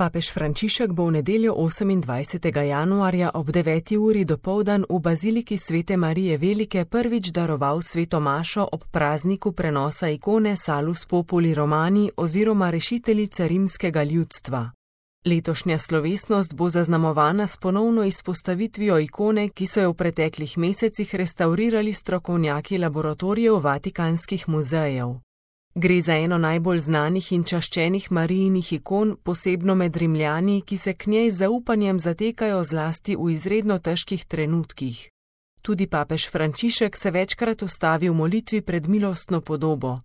Papež Frančišek bo v nedeljo 28. januarja ob 9. uri dopoldan v baziliki Svete Marije Velike prvič daroval sveto mašo ob prazniku prenosa ikone Salus Populi Romani oziroma rešiteljice rimskega ljudstva. Letošnja slovesnost bo zaznamovana s ponovno izpostavitvijo ikone, ki so jo v preteklih mesecih restavrirali strokovnjaki laboratorijev Vatikanskih muzejev. Gre za eno najbolj znanih in čaščenih Marijinih ikon, posebno med Rimljani, ki se k njej z zaupanjem zatekajo zlasti v izredno težkih trenutkih. Tudi papež Frančišek se večkrat ustavi v molitvi pred milostno podobo.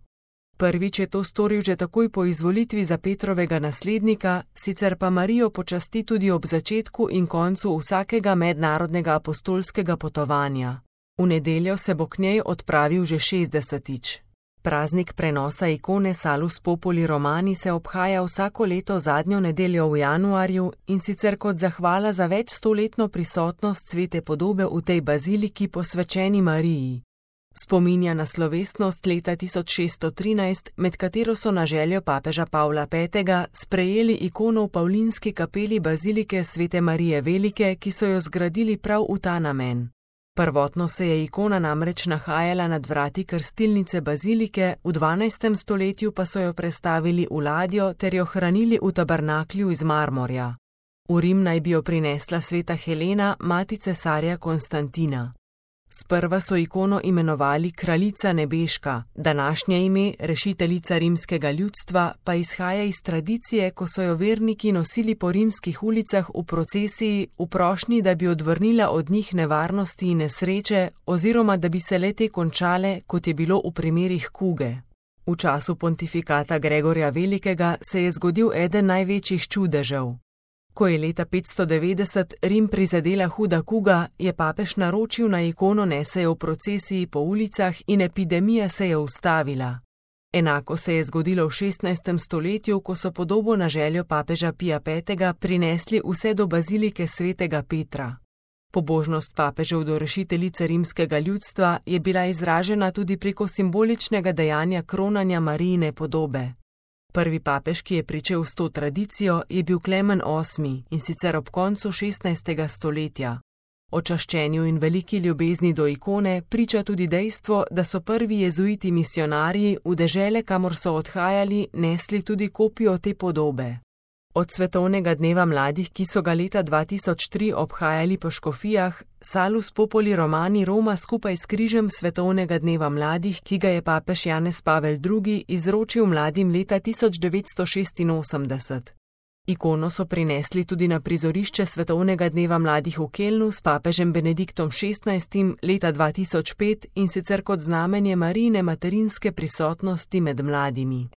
Prvič je to storil že takoj po izvolitvi za Petrovega naslednika, sicer pa Marijo počasti tudi ob začetku in koncu vsakega mednarodnega apostolskega potovanja. V nedeljo se bo k njej odpravil že 60-tič. Praznik prenosa ikone Salus Populi Romani se obhaja vsako leto zadnjo nedeljo v januarju in sicer kot zahvala za več stoletno prisotnost svete podobe v tej baziliki posvečeni Mariji. Spominja na slovesnost leta 1613, med katero so na željo papeža Pavla V. sprejeli ikono v Pavlinski kapeli bazilike Svete Marije Velike, ki so jo zgradili prav v ta namen. Prvotno se je ikona namreč nahajala nad vrati krstilnice bazilike, v 12. stoletju pa so jo prestavili v ladjo ter jo hranili v tabernaklju iz marmorja. V Rim naj bi jo prinesla sveta Helena, mati cesarja Konstantina. Sprva so ikono imenovali Kraljica nebeška, današnje ime, rešiteljica rimskega ljudstva, pa izhaja iz tradicije, ko so jo verniki nosili po rimskih ulicah v procesiji v prošnji, da bi odvrnila od njih nevarnosti in nesreče oziroma da bi se le-te končale, kot je bilo v primerih kuge. V času pontifikata Gregorja Velikega se je zgodil eden največjih čudežev. Ko je leta 590 Rim prizadela huda kuga, je papež naročil na ikono nesejo v procesiji po ulicah in epidemija se je ustavila. Enako se je zgodilo v 16. stoletju, ko so podobo na željo papeža Pija V. prinesli vse do bazilike svetega Petra. Pobožnost papežev do rešiteljice rimskega ljudstva je bila izražena tudi preko simboličnega dejanja kronanja Marijine podobe. Prvi papež, ki je pričel s to tradicijo, je bil Klemen VIII in sicer ob koncu 16. stoletja. O čaščenju in veliki ljubezni do ikone priča tudi dejstvo, da so prvi jezuiti misionarji v dežele, kamor so odhajali, nesli tudi kopijo te podobe. Od svetovnega dneva mladih, ki so ga leta 2003 obhajali po škofijah, Salus Populi Romani roma skupaj s križem svetovnega dneva mladih, ki ga je papež Janez Pavel II. Izročil mladim leta 1986. Ikono so prinesli tudi na prizorišče svetovnega dneva mladih v Kelnu s papežem Benediktom XVI. Leta 2005 in sicer kot znamenje Marijine materinske prisotnosti med mladimi.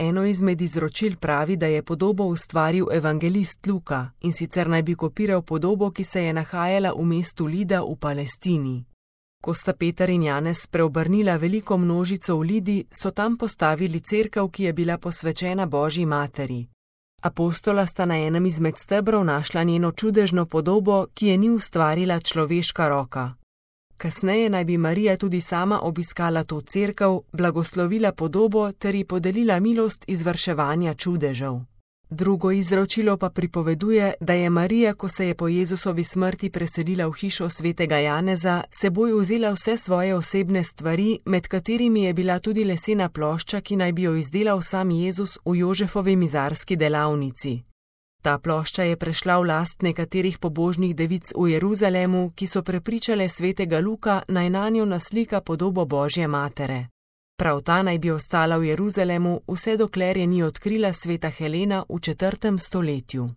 Eno izmed izročil pravi, da je podobo ustvaril evangelist Luka in sicer naj bi kopiral podobo, ki se je nahajala v mestu Lida v Palestini. Ko sta Peter in Janez preobrnila veliko množico v Lidi, so tam postavili cerkev, ki je bila posvečena Božji materi. Apostola sta na enem izmed stebrov našla njeno čudežno podobo, ki je ni ustvarila človeška roka. Kasneje naj bi Marija tudi sama obiskala to cerkev, blagoslovila podobo ter ji podelila milost izvrševanja čudežev. Drugo izročilo pa pripoveduje, da je Marija, ko se je po Jezusovi smrti preselila v hišo svetega Janeza, seboj vzela vse svoje osebne stvari, med katerimi je bila tudi lesena plošča, ki naj bi jo izdelal sam Jezus v Jožefovi mizarski delavnici. Ta plošča je prešla v last nekaterih pobožnih devic v Jeruzalemu, ki so prepričale svetega Luka, naj nanjo naslika podobo Božje matere. Prav ta naj bi ostala v Jeruzalemu, vse dokler je ni odkrila sveta Helena v 4. stoletju.